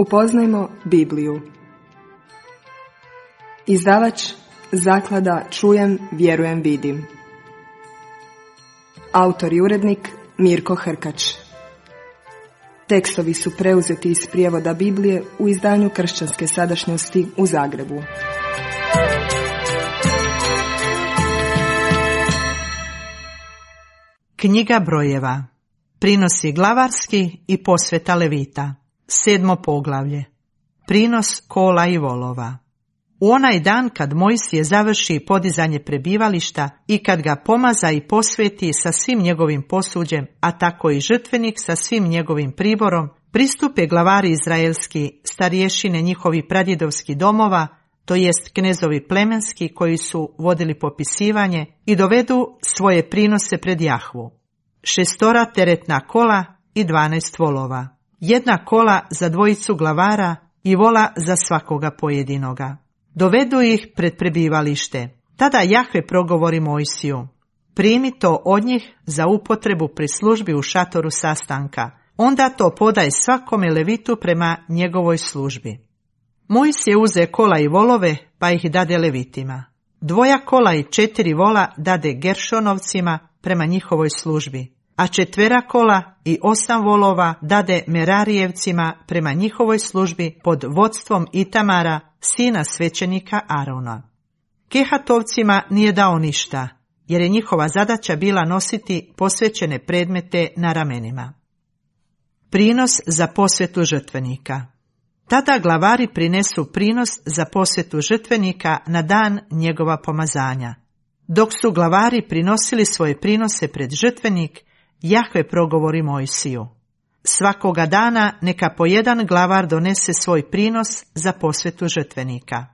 Upoznajmo Bibliju. Izdavač Zaklada Čujem, vjerujem, vidim. Autor i urednik Mirko Hrkač. Tekstovi su preuzeti iz prijevoda Biblije u izdanju Kršćanske sadašnjosti u Zagrebu. Knjiga brojeva. Prinosi glavarski i posveta Levita. 7. poglavlje. Prinos kola i volova. U onaj dan kad Mojsije završi podizanje prebivališta i kad ga pomaza i posveti sa svim njegovim posuđem, a tako i žrtvenik sa svim njegovim priborom, pristupe glavari izraelski, starješine njihovi pradjedovskih domova, to jest knezovi plemenski koji su vodili popisivanje, i dovedu svoje prinose pred Jahvu. 6 teretna kola i 12 volova. 1 kola za 2 glavara i vola za svakoga pojedinoga. Dovedu ih pred prebivalište. Tada Jahve progovori Mojsiju: primi to od njih za upotrebu pri službi u šatoru sastanka. Onda to podaj svakome levitu prema njegovoj službi. Mojsije uze kola i volove, pa ih dade levitima. 2 kola i 4 vola dade Geršonovcima prema njihovoj službi, a 4 kola i 8 volova dade Merarijevcima prema njihovoj službi pod vodstvom Itamara, sina svećenika Arona. Kehatovcima nije dao ništa, jer je njihova zadaća bila nositi posvećene predmete na ramenima. Prinos za posvetu žrtvenika. Tada glavari prinesu prinos za posvetu žrtvenika na dan njegova pomazanja. Dok su glavari prinosili svoje prinose pred žrtvenik, Jahve progovori Mojsiju: svakoga dana neka po 1 glavar donese svoj prinos za posvetu žrtvenika.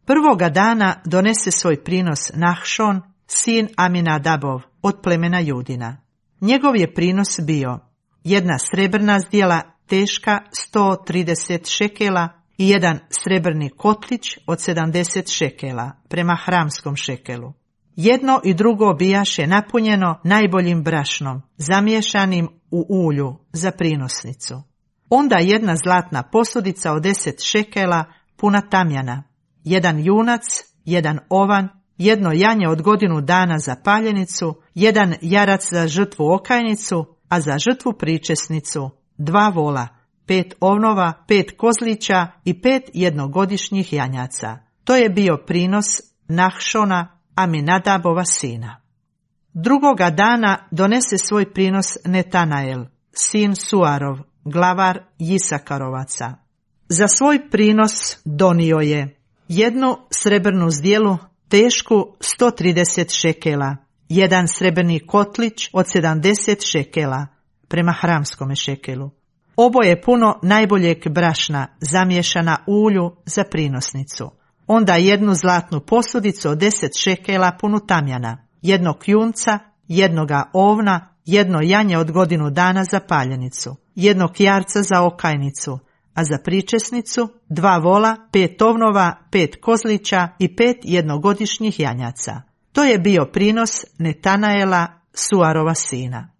Prvoga dana donese svoj prinos Nahšon, sin Aminadabov, od plemena Judina. Njegov je prinos bio 1 srebrna zdjela teška 130 šekela i 1 srebrni kotlić od 70 šekela prema hramskom šekelu. 1 i 2 bijaše napunjeno najboljim brašnom, zamiješanim u ulju za prinosnicu. Onda 1 zlatna posudica od 10 šekela puna tamjana, 1 junac, 1 ovan, 1 janje od 1 dana za paljenicu, 1 jarac za žrtvu okajnicu, a za žrtvu pričesnicu 2 vola, 5 ovnova, 5 kozlića i 5 jednogodišnjih janjaca. To je bio prinos Nahšona, Aminadabova sina. Drugoga dana donese svoj prinos Netanael, sin Suarov, glavar Jisakarovaca. Za svoj prinos donio je 1 srebrnu zdjelu tešku 130 šekela, 1 srebrni kotlić od 70 šekela prema hramskome šekelu. Oboje puno najboljeg brašna, zamiješana u ulju za prinosnicu. Onda 1 zlatnu posudicu od 10 šekela punu tamjana, 1 junca, 1 ovna, 1 janje od 1 dana za paljenicu, 1 jarca za okajnicu, a za pričesnicu 2 vola, 5 ovnova, 5 kozlića i 5 jednogodišnjih janjaca. To je bio prinos Netanaela, Suarova sina.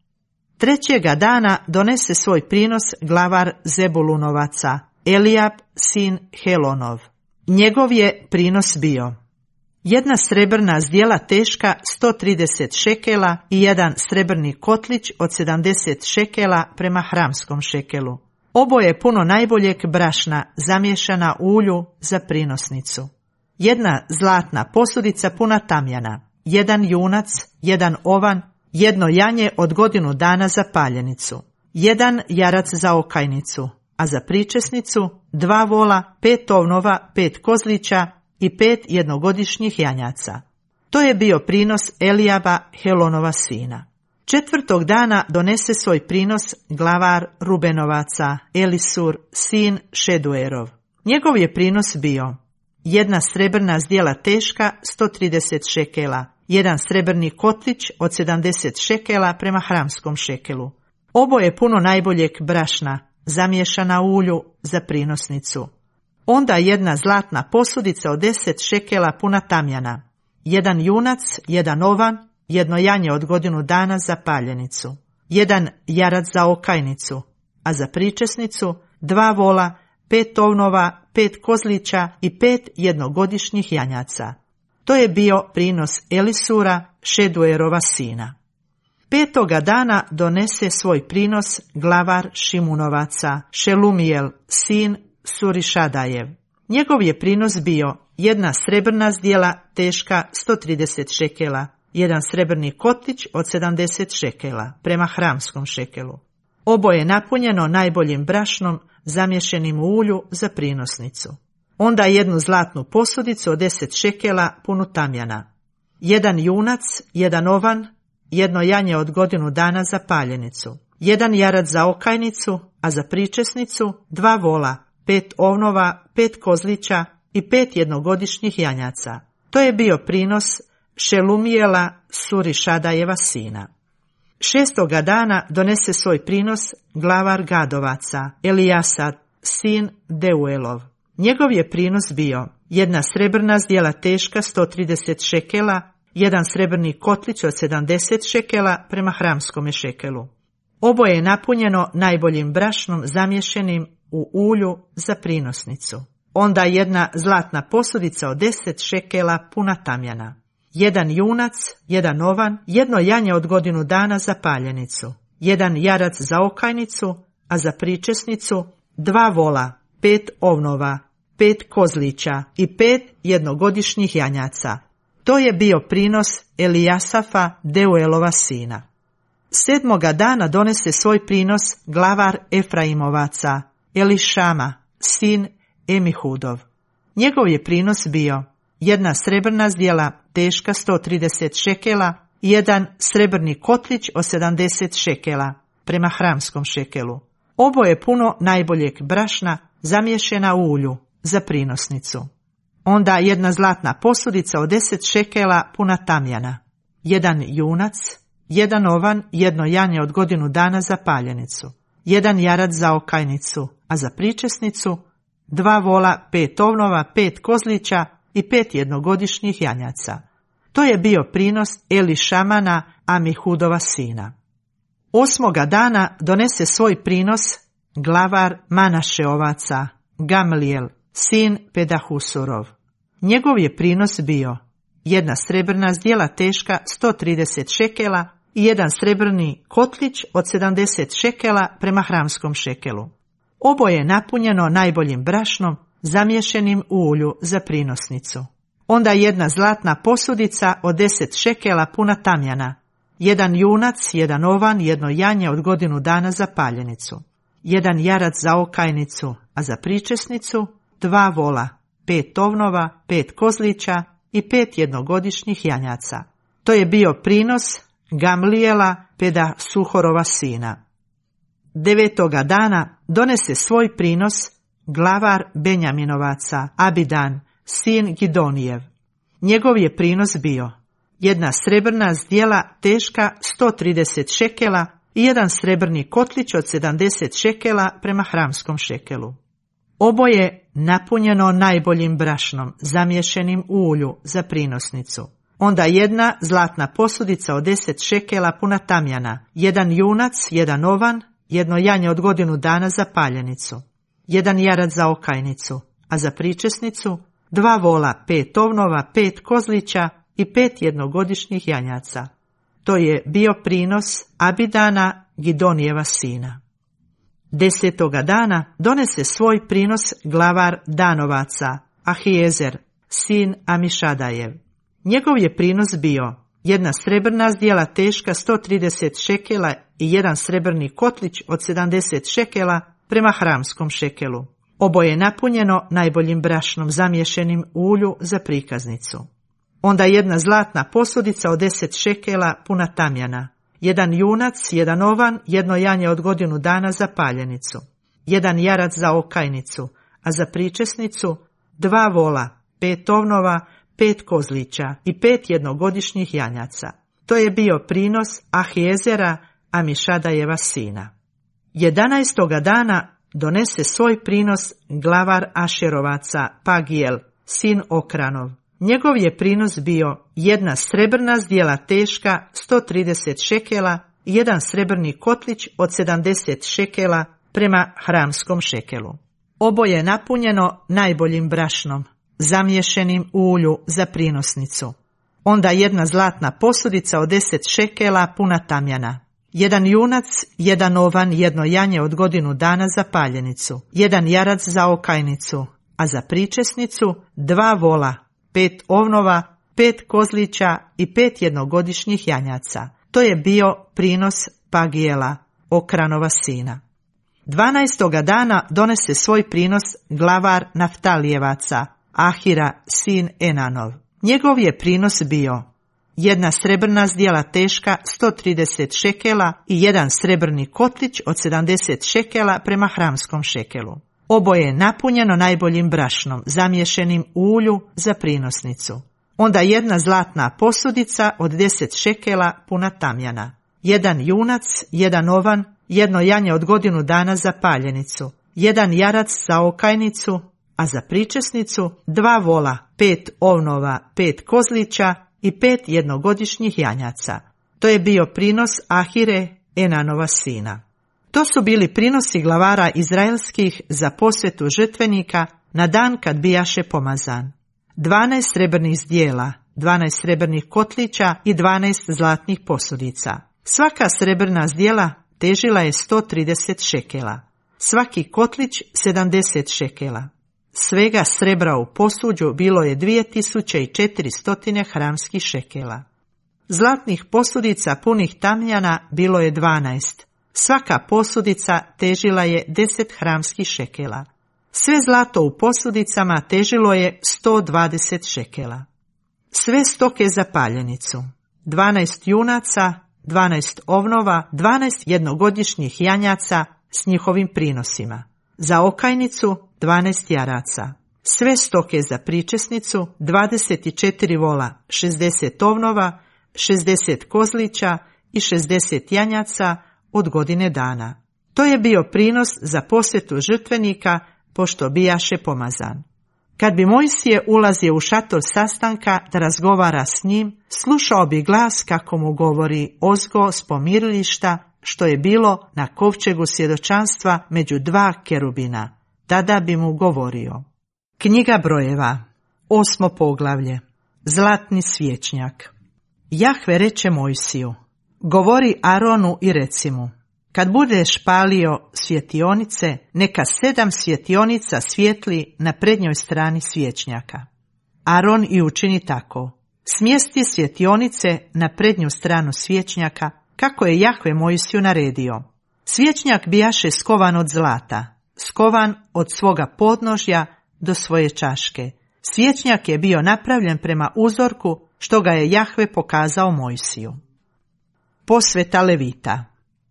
3. dana donese svoj prinos glavar Zebulunovaca, Elijab, sin Helonov. Njegov je prinos bio 1 srebrna zdjela teška 130 šekela i 1 srebrni kotlić od 70 šekela prema hramskom šekelu. Oboje puno najboljeg brašna, zamiješana u ulju za prinosnicu. 1 zlatna posudica puna tamjana, 1 junac, 1 ovan, 1 janje od 1 dana za paljenicu, 1 jarac za okajnicu, a za pričesnicu 2 vola, 5 ovnova, 5 kozlića i 5 jednogodišnjih janjaca. To je bio prinos Elijaba, Helonova sina. 4. dana donese svoj prinos glavar Rubenovaca, Elisur, sin Šeduerov. Njegov je prinos bio 1 srebrna zdjela teška 130 šekela, 1 srebrni kotlić od 70 šekela prema hramskom šekelu. Oboje puno najboljeg brašna, zamiješana u ulju za prinosnicu. Onda 1 zlatna posudica od 10 šekela puna tamjana, 1 junac, 1 ovan, 1 janje od 1 dana za paljenicu, 1 jarac za okajnicu, a za pričesnicu 2 vola, 5 ovnova, 5 kozlića i 5 jednogodišnjih janjaca. To je bio prinos Elisura, Šeduerova sina. 5. dana donese svoj prinos glavar Šimunovaca, Šelumijel, sin Surišadajev. Njegov je prinos bio 1 srebrna zdjela teška 130 šekela, 1 srebrni kotlić od 70 šekela prema hramskom šekelu. Oboje napunjeno najboljim brašnom zamješenim u ulju za prinosnicu. Onda 1 zlatnu posudicu od 10 šekela punu tamjana. 1 junac, 1 ovan, 1 janje od godinu dana za paljenicu. 1 jarac za okajnicu, a za pričesnicu 2 vola, 5 ovnova, 5 kozlića i 5 jednogodišnjih janjaca. To je bio prinos Šelumijela, Surišadajeva sina. 6. dana donese svoj prinos glavar Gadovaca, Elijasad, sin Deuelov. Njegov je prinos bio 1 srebrna zdjela teška 130 šekela, 1 srebrni kotlić od 70 šekela prema hramskome šekelu. Oboje je napunjeno najboljim brašnom zamješenim u ulju za prinosnicu. Onda 1 zlatna posudica od 10 šekela puna tamjana. 1 junac, 1 ovan, 1 janje od godinu dana za paljenicu. 1 jarac za okajnicu, a za pričesnicu 2 vola, 5 ovnova, 5 kozlića i 5 jednogodišnjih janjaca. To je bio prinos Elijasafa, Deuelova sina. 7. dana donese svoj prinos glavar Efraimovaca, Elišama, sin Emihudov. Njegov je prinos bio 1 srebrna zdjela teška 130 šekela i 1 srebrni kotlić od 70 šekela prema hramskom šekelu. Oboje puno najboljeg brašna zamješena u ulju za prinosnicu. Onda 1 zlatna posudica od 10 šekela puna tamjana. 1 junac, 1 ovan, 1 janje od godinu dana za paljenicu. 1 jarac za okajnicu, a za pričesnicu 2 vola, 5 ovnova, 5 kozlića i 5 jednogodišnjih janjaca. To je bio prinos Elišamana, Amihudova sina. 8. dana donese svoj prinos glavar Manašeovaca, Gamlijel, sin Pedahusurov. Njegov je prinos bio 1 srebrna zdjela teška 130 šekela i 1 srebrni kotlić od 70 šekela prema hramskom šekelu. Oboje je napunjeno najboljim brašnom zamješenim u ulju za prinosnicu. Onda 1 zlatna posudica od 10 šekela puna tamjana. 1 junac, 1 ovan, 1 janje od godinu dana za paljenicu. 1 jarac za okajnicu, a za pričesnicu 2 vola, 5 ovnova, 5 kozlića i 5 jednogodišnjih janjaca. To je bio prinos Gamlijela, Pedasuhorova sina. 9. dana donese svoj prinos glavar Benjaminovaca, Abidan, sin Gidonijev. Njegov je prinos bio 1 srebrna zdjela teška 130 šekela i 1 srebrni kotlić od 70 šekela prema hramskom šekelu. Oboje napunjeno najboljim brašnom zamješenim u ulju za prinosnicu. Onda 1 zlatna posudica od 10 šekela puna tamjana, 1 junac, 1 ovan, 1 janje od godinu dana za paljenicu, 1 jarac za okajnicu, a za pričesnicu 2 vola, 5 ovnova, 5 kozlića i 5 jednogodišnjih janjaca. To je bio prinos Abidana, Gidonijeva sina. 10. dana donese svoj prinos glavar Danovaca, Ahijezer, sin Amišadajev. Njegov je prinos bio 1 srebrna zdjela teška 130 šekela i 1 srebrni kotlić od 70 šekela prema hramskom šekelu. Oboje je napunjeno najboljim brašnom zamješenim u ulju za prikaznicu. Onda 1 zlatna posudica od 10 šekela puna tamjana, 1 junac, 1 ovan, 1 janje od godinu dana za paljenicu, 1 jarac za okajnicu, a za pričesnicu 2 vola, 5 ovnova, 5 kozlića i 5 jednogodišnjih janjaca. To je bio prinos Ahijezera, Amišadajeva sina. 11. dana donese svoj prinos glavar Ašerovaca, Pagijel, sin Okranov. Njegov je prinos bio 1 srebrna zdjela teška 130 šekela i 1 srebrni kotlić od 70 šekela prema hramskom šekelu. oboje napunjeno najboljim brašnom, zamiješenim u ulju za prinosnicu. Onda jedna zlatna posudica od 10 šekela puna tamjana, 1 junac, 1 ovan, 1 janje od godinu dana za paljenicu, 1 jarac za okajnicu, a za pričesnicu 2 vola, 5 ovnova, 5 kozlića i 5 jednogodišnjih janjaca. To je bio prinos Pagijela, Okranova sina. 12. dana donese svoj prinos glavar Naftalijevaca, Ahira, sin Enanov. Njegov je prinos bio 1 srebrna zdjela teška 130 šekela i 1 srebrni kotlić od 70 šekela prema hramskom šekelu. Oboje je napunjeno najboljim brašnom, zamiješenim u ulju za prinosnicu. Onda 1 zlatna posudica od 10 šekela puna tamjana, 1 junac, 1 ovan, 1 janje od godinu dana za paljenicu, 1 jarac za okajnicu, a za pričesnicu 2 vola, 5 ovnova, 5 kozlića i 5 jednogodišnjih janjaca. To je bio prinos Ahire, Enanova sina. To su bili prinosi glavara izraelskih za posvetu žrtvenika na dan kad bijaše pomazan. 12 srebrnih zdjela, 12 srebrnih kotlića i 12 zlatnih posudica. Svaka srebrna zdjela težila je 130 šekela. Svaki kotlić 70 šekela. Svega srebra u posuđu bilo je 2400 hramskih šekela. Zlatnih posudica punih tamjana bilo je 12. Svaka posudica težila je 10 hramskih šekela. Sve zlato u posudicama težilo je 120 šekela. Sve stoke za paljenicu, 12 junaca, 12 ovnova, 12 jednogodišnjih janjaca s njihovim prinosima. Za okajnicu 12 jaraca. Sve stoke za pričesnicu, 24 vola, 60 ovnova, 60 kozlića i 60 janjaca od godine dana. To je bio prinos za posvetu žrtvenika, pošto bijaše pomazan. Kad bi Mojsije ulazio u šator sastanka da razgovara s njim, slušao bi glas kako mu govori Ozgo s pomirilišta, što je bilo na kovčegu svjedočanstva među 2 kerubina. Tada bi mu govorio. Knjiga brojeva, 8. poglavlje. Zlatni svječnjak. Jahve reče Mojsiju, govori Aronu i reci mu, kad budeš palio svjetionice, neka 7 svjetionika svijetli na prednjoj strani svječnjaka. Aron i učini tako. Smjesti svjetionice na prednju stranu svječnjaka, kako je Jahve Mojsiju naredio. Svječnjak bijaše skovan od zlata, skovan od svoga podnožja do svoje čaške. Svječnjak je bio napravljen prema uzorku što ga je Jahve pokazao Mojsiju. Posveta Levita.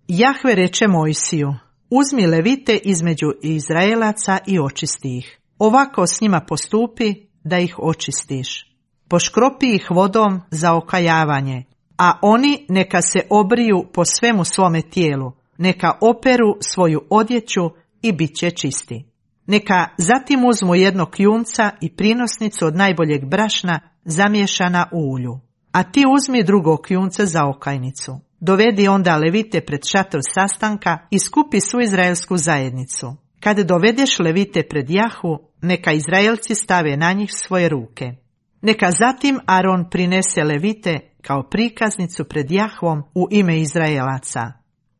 Jahve reče Mojsiju, uzmi Levite između Izraelaca i očisti ih. Ovako s njima postupi da ih očistiš. Poškropi ih vodom za okajavanje, a oni neka se obriju po svemu svome tijelu, neka operu svoju odjeću i bit će čisti. Neka zatim uzmu jednog kljunca i prinosnicu od najboljeg brašna zamiješana u ulju. A ti uzmi drugog kljunca za okajnicu. Dovedi onda Levite pred šator sastanka i skupi svu izraelsku zajednicu. Kad dovedeš Levite pred Jahvu, neka Izraelci stave na njih svoje ruke. Neka zatim Aron prinese Levite kao prikaznicu pred Jahvom u ime Izraelaca.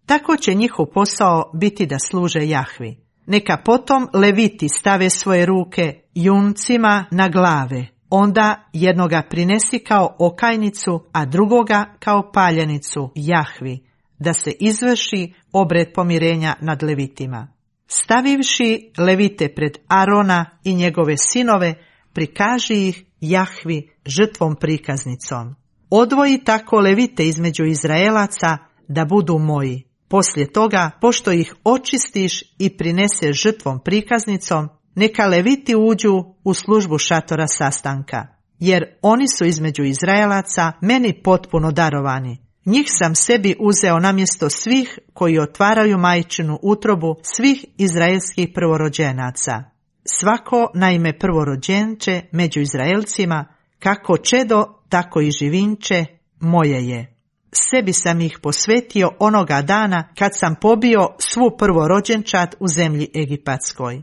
Tako će njihov posao biti da služe Jahvi. Neka potom Leviti stave svoje ruke juncima na glave. Onda jednoga prinesi kao okajnicu, a drugoga kao paljenicu Jahvi, da se izvrši obred pomirenja nad Levitima. Stavivši Levite pred Arona i njegove sinove, prikaži ih Jahvi žrtvom prikaznicom. Odvoji tako Levite između Izraelaca da budu moji. Poslije toga, pošto ih očistiš i prineseš žrtvom prikaznicom, neka Leviti uđu u službu šatora sastanka, jer oni su između Izraelaca meni potpuno darovani. Njih sam sebi uzeo namjesto svih koji otvaraju majčinu utrobu svih izraelskih prvorođenaca. Svako naime prvorođenče među Izraelcima, kako čedo, tako i živinče, moje je. Sebi sam ih posvetio onoga dana kad sam pobio svu prvorođenčad u zemlji Egipatskoj.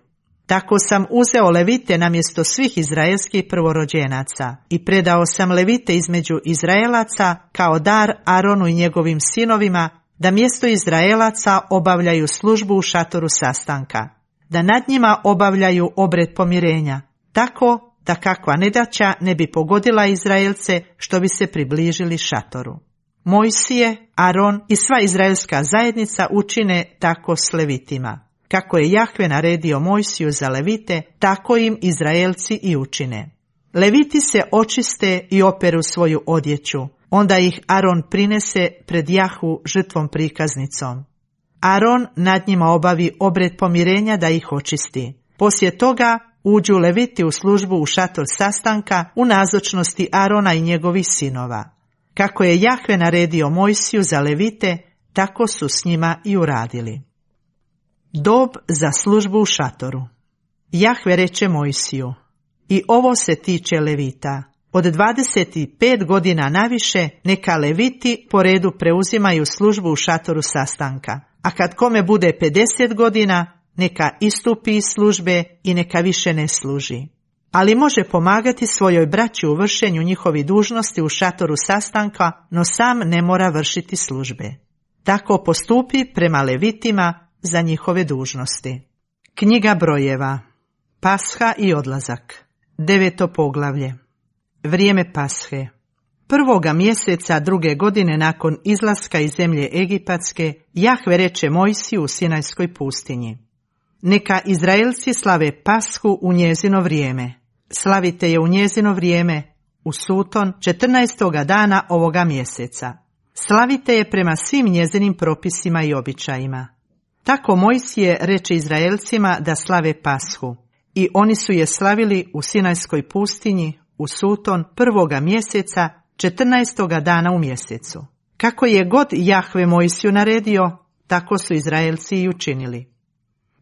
Tako sam uzeo levite namjesto svih izraelskih prvorođenaca i predao sam levite između Izraelaca kao dar Aronu i njegovim sinovima, da mjesto Izraelaca obavljaju službu u šatoru sastanka, da nad njima obavljaju obred pomirenja, tako da kakva nedaća ne bi pogodila Izraelce što bi se približili šatoru. Mojsije, Aron i sva izraelska zajednica učine tako s levitima. Kako je Jahve naredio Mojsiju za levite, tako im Izraelci i učine. Leviti se očiste i operu svoju odjeću, onda ih Aron prinese pred Jahvu žrtvom prikaznicom. Aron nad njima obavi obred pomirenja da ih očisti. Poslije toga uđu leviti u službu u šator sastanka u nazočnosti Arona i njegovih sinova. Kako je Jahve naredio Mojsiju za levite, tako su s njima i uradili. Dob za službu u šatoru. Jahve reče Mojsiju: i ovo se tiče levita. Od 25 godina naviše neka leviti po redu preuzimaju službu u šatoru sastanka, a kad kome bude 50 godina, neka istupi iz službe i neka više ne služi. Ali može pomagati svojoj braći u vršenju njihovi dužnosti u šatoru sastanka, no sam ne mora vršiti službe. Tako postupi prema levitima za njihove dužnosti. Knjiga brojeva. Pasha i odlazak. 9. poglavlje. Vrijeme Pashe. 1. mjeseca 2. godine nakon izlaska iz zemlje Egipatske, Jahve reče Mojsiju u Sinajskoj pustinji: neka Izraelci slave Pashu u njezino vrijeme. Slavite je u njezino vrijeme, u Suton, 14. dana ovoga mjeseca. Slavite je prema svim njezinim propisima i običajima. Tako Mojsije reče Izraelcima da slave Pashu, i oni su je slavili u Sinajskoj pustinji, u Suton, 1. mjeseca, 14. dana u mjesecu. Kako je god Jahve Mojsiju naredio, tako su Izraelci i učinili.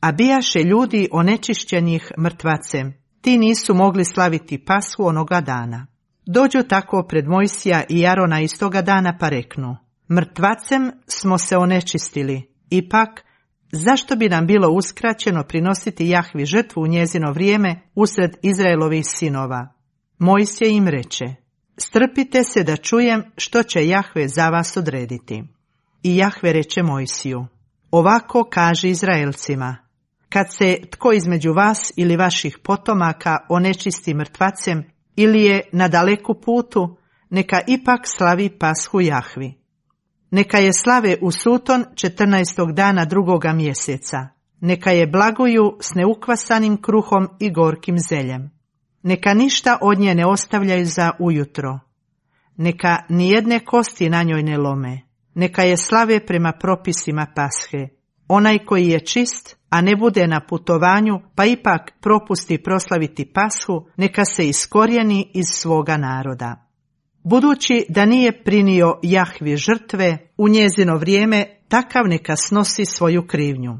A bijaše ljudi onečišćenih mrtvacem, ti nisu mogli slaviti Pashu onoga dana. Dođu tako pred Mojsija i Arona istoga dana pa reknu: mrtvacem smo se onečistili, ipak zašto bi nam bilo uskraćeno prinositi Jahvi žrtvu u njezino vrijeme usred Izraelovih sinova? Mojsije im reče: strpite se da čujem što će Jahve za vas odrediti. I Jahve reče Mojsiju: ovako kaže Izraelcima: kad se tko između vas ili vaših potomaka onečisti mrtvacem ili je na daleku putu, neka ipak slavi Pashu Jahvi. Neka je slave u Suton 14. dana 2. mjeseca. Neka je blaguju s neukvasanim kruhom i gorkim zeljem. Neka ništa od nje ne ostavljaju za ujutro. Neka nijedne kosti na njoj ne lome. Neka je slave prema propisima Pashe. Onaj koji je čist, a ne bude na putovanju, pa ipak propusti proslaviti Pashu, neka se iskorijeni iz svoga naroda. Budući da nije prinio Jahvi žrtve u njezino vrijeme, takav neka snosi svoju krivnju.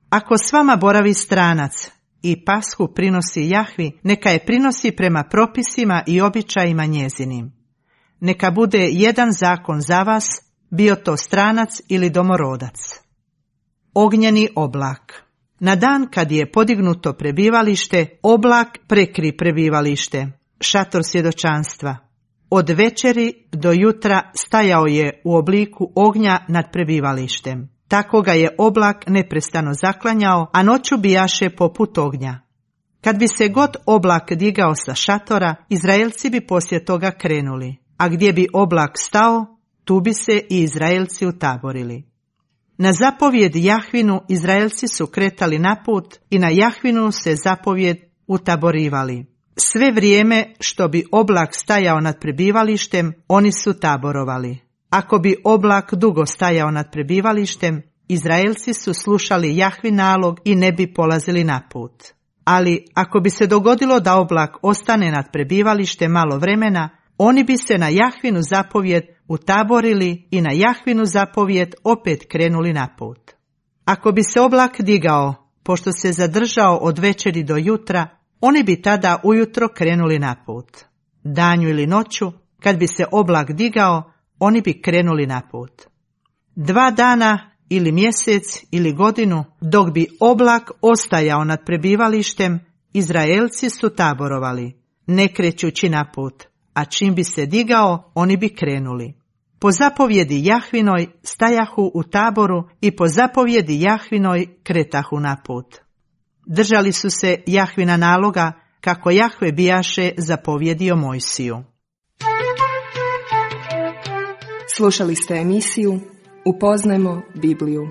Ako s vama boravi stranac i Pashu prinosi Jahvi, neka je prinosi prema propisima i običajima njezinim. Neka bude jedan zakon za vas, bio to stranac ili domorodac. Ognjeni oblak. Na dan kad je podignuto prebivalište, oblak prekri prebivalište, šator svjedočanstva. Od večeri do jutra stajao je u obliku ognja nad prebivalištem. Tako ga je oblak neprestano zaklanjao, a noću bijaše poput ognja. Kad bi se god oblak digao sa šatora, Izraelci bi poslije toga krenuli, a gdje bi oblak stao, tu bi se i Izraelci utaborili. Na zapovjed Jahvinu Izraelci su kretali na put i na Jahvinu se zapovjed utaborivali. Sve vrijeme što bi oblak stajao nad prebivalištem, oni su taborovali. Ako bi oblak dugo stajao nad prebivalištem, Izraelci su slušali Jahvin nalog i ne bi polazili na put. Ali ako bi se dogodilo da oblak ostane nad prebivalištem malo vremena, oni bi se na Jahvinu zapovjed utaborili i na Jahvinu zapovjed opet krenuli na put. Ako bi se oblak digao, pošto se zadržao od večeri do jutra, oni bi tada ujutro krenuli na put. Danju ili noću, kad bi se oblak digao, oni bi krenuli na put. 2 dana ili mjesec ili godinu, dok bi oblak ostajao nad prebivalištem, Izraelci su taborovali, ne krećući na put, a čim bi se digao, oni bi krenuli. Po zapovjedi Jahvinoj stajahu u taboru i po zapovjedi Jahvinoj kretahu na put. Držali su se Jahvina naloga, kako Jahve bijaše zapovjedio Mojsiju. Slušali ste emisiju Upoznajmo Bibliju.